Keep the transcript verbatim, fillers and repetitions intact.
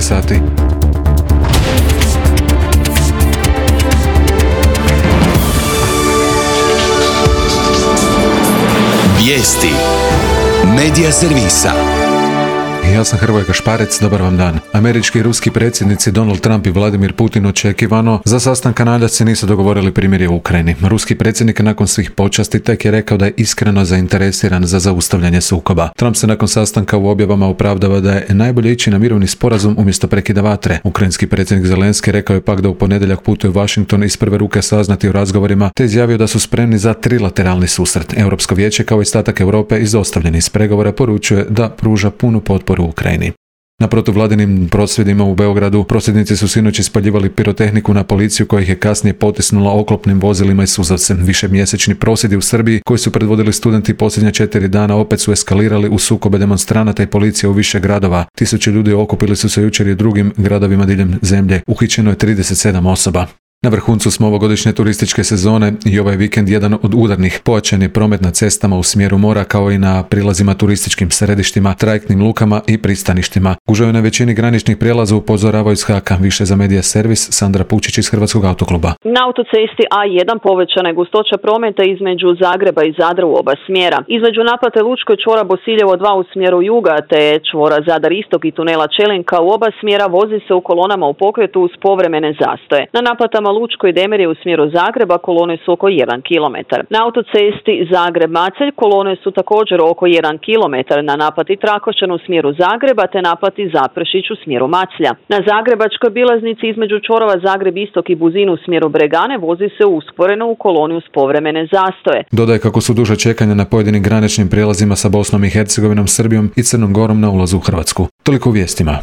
šesnaest sati. Vijesti Medija servisa. Ja sam Hrvoje Kašparec, dobar vam dan. Američki i ruski predsjednici Donald Trump i Vladimir Putin očekivano za sastanak Kanadjaci se nisu dogovorili primirje u Ukrajini. Ruski predsjednik nakon svih počasti tek je rekao da je iskreno zainteresiran za zaustavljanje sukoba. Trump se nakon sastanka u objavama opravdava da je najbolje ići na mirovni sporazum umjesto prekida vatre. Ukrajinski predsjednik Zelenski rekao je pak da u ponedjeljak putuje u Washington iz prve ruke saznati o razgovorima, te izjavio da su spremni za trilateralni susret. Europsko vijeće kao i ostatak Europe izostavljeni iz pregovora poručuje da pruža punu potporu u Ukrajini. Na protuvladinim prosvjedima u Beogradu prosvjednici su sinoć ispaljivali pirotehniku na policiju koja ih je kasnije potisnula oklopnim vozilima i suzavcem. Višemjesečni prosvjedi u Srbiji koji su predvodili studenti posljednja četiri dana opet su eskalirali u sukobe demonstranata i policije u više gradova. Tisuće ljudi okupili su se jučer i u drugim gradovima diljem zemlje. Uhićeno je trideset sedam osoba. Na vrhuncu smo ovogodišnje turističke sezone i ovaj vikend jedan od udarnih. Pojačan je promet na cestama u smjeru mora kao i na prilazima turističkim središtima, trajektnim lukama i pristaništima. Gužve na većini graničnih prijelaza upozoravaju iz Haka. Više za Medija servis, Sandra Pučić iz Hrvatskog autokluba. Na autocesti A jedan povećana je gustoća prometa između Zagreba i Zadra u oba smjera. Između naplate Lučko čvora Bosiljevo dva u smjeru juga te čvora Zadar Istok i tunela Čelinka u oba smjera vozi se u kolonama u pokretu uz povremene zastoje. Na naplatama Lučko i Demirje u smjeru Zagreba kolone su oko jedan kilometar. Na autocesti Zagreb-Macelj kolone su također oko jedan kilometar na naplati Trakošćan u smjeru Zagreba te naplati Zaprešić u smjeru Maclja. Na zagrebačkoj bilaznici između čvorova Zagreb-Istok i Buzin u smjeru Bregane vozi se usporeno u koloni uz povremene zastoje. Dodaje kako su duže čekanja na pojedinim graničnim prijelazima sa Bosnom i Hercegovinom, Srbijom i Crnom Gorom na ulazu u Hrvatsku. Toliko u vijestima.